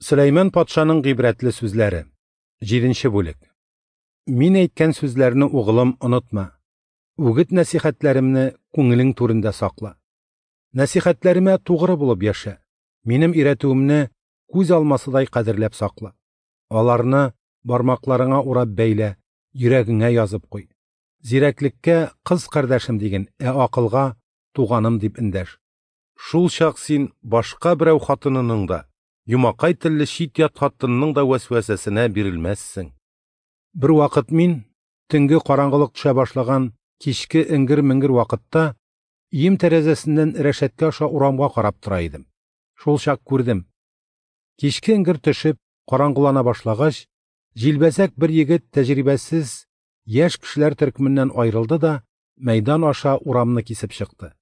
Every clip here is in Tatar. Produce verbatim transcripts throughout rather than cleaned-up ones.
Сөләйман патшаның гыйбрәтле сүзләре. Җиденче бүлек. Мин әйткән сүзләрне, угылым, онытма. Үгет нәсихәтләремне күңелең түрендә сакла. Нәсихәтләремә тугры булып яшә. Минем өйрәтүемне күз алмасыдай кадерләп сакла. Аларны бармакларыңа урап бәйлә, йөрәгеңә язып куй. Зирәклеккә кыз кардәшем диген, ә акылга туганым дип эндәш. Шул чак син башка берәү хатынының да, юмакай телле чит-ят хатынның да вәсвәсәсенә бирелмәссең. Бер вакыт мин, төнге караңгылык төшә башлаган кичке эңгер-меңгер вакытта, өем тәрәзәсеннән рәшәткә аша урамга карап тора идем. Шул чак күрдем. Кичке эңгер төшеп, караңгылана башлагач, җилбәзәк бер егет тәҗрибәсез яшь кешеләр төркеменнән аерылды да мәйдан аша урамны кисеп чыкты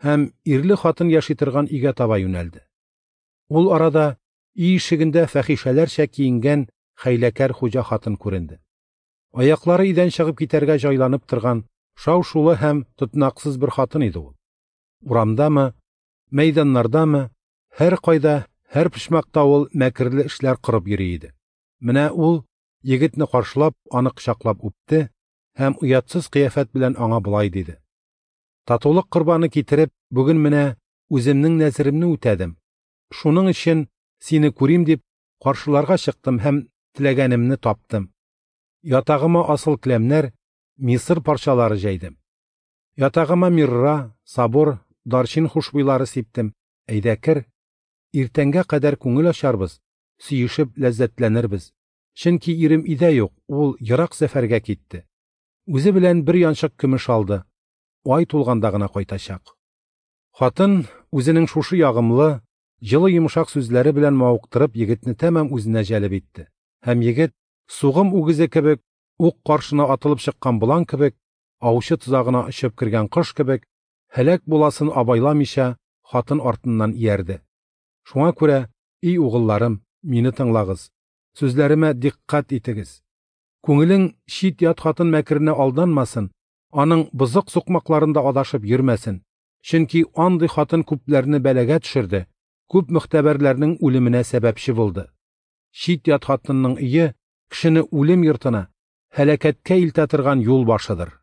һәм ирле хатын яши торган өйгә таба юнәлде. Ул арада өй ишегендә фәхишәләрчә киенгән хәйләкәр хуҗа хатын күренде. Аяклары өйдән чыгып китәргә җайланып торган шау-шулы һәм тотнаксыз бер хатын иде ул. Урамдамы, мәйданнардамы, һәр кайда, һәр почмакта ул мәкерле эшләр корып йөри иде. Менә ул егетне каршылап, аны кочаклап үпте һәм оятсыз кыяфәт белән аңа болай диде: Татулык корбаны китереп, бүген менә үземнең нәзеремне үтәдем. Шуның өчен сине күрим дип каршыларга чыктым һәм теләгәнемне таптым. Ятагыма асыл келәмнәр, Мисыр парчалары җәйдем. Ятагыма мирра, сабур, дарчин хушбуйлары сиптем. Әйдә кер, иртәнгә кадәр күңел ачарбыз, сөешеп ләззәтләнербез. Чөнки ирем өйдә юк, ул ерак сәфәргә китте. Үзе белән бер янчык көмеш алды. Ай тулганда гына кайтачак. Хатын үзенең шушы ягымлы, җылы йомшак сүзләре белән мавыктырып егетне тәмам үзенә җәлеп итте. Һәм егет сугым үгезе кебек, ук каршына атылып чыккан болан кебек, аучы тозагына очып кергән кош кебек, һәлак буласын абайламыйча хатын артыннан иярде. Шуңа күрә, ий угылларым, мине тыңлагыз, сүзләремә дикъкать итегез. Күңелең чит-ят хатын мәкеренә алданмасын, аның бозык сукмакларында адашып йөрмәсен. Чөнки андый хатын күпләрне бәлагә төшерде, күп мөхтәбәрләрнең үлеменә сәбәпче булды. Чит-ят хатынның өе кешене үлем йортына, һәлакәткә илтә торган юл башыдыр.